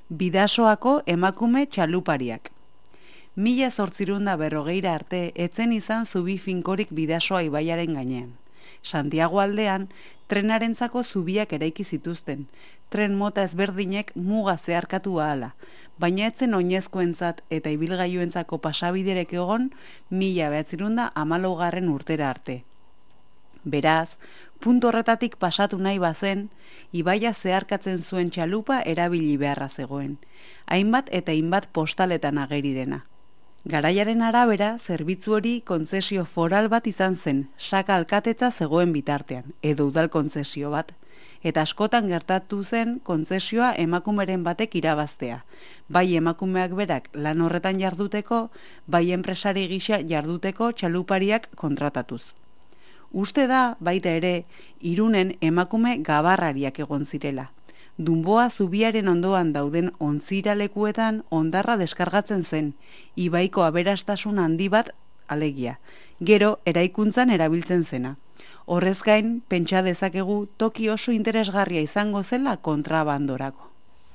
Bidasoako emakume txalupariak. 1840 arte etzen izan zubi finkorik Bidasoa ibaiaren gainean. Santiago aldean, trenarentzako zubiak eraiki zituzten, tren mota ezberdinek muga zeharkatu ahala, baina etzen oinezkoentzat eta ibilgailuentzako pasabiderek egon 1914 urtera arte. Beraz, puntu horretatik pasatu nahi bazen, ibaia zeharkatzen zuen txalupa erabili beharra zegoen, hainbat eta hainbat postaletan ageri dena. Garaiaren arabera, zerbitzu hori kontzesio foral bat izan zen, Saka alkatetza zegoen bitartean, edo udal kontzesio bat, eta askotan gertatu zen kontzesioa emakumeren batek irabaztea, bai emakumeak berak lan horretan jarduteko, bai enpresari gisa jarduteko txalupariak kontratatuz. Uste da, baita ere, Irunen emakume gabarrariak egon zirela. Dunboa zubiaren ondoan dauden ontzira lekuetan hondarra deskargatzen zen, ibaiko aberastasun handi bat alegia, gero eraikuntzan erabiltzen zena. Horrez gain, pentsa dezakegu toki oso interesgarria izango zela kontrabandorako.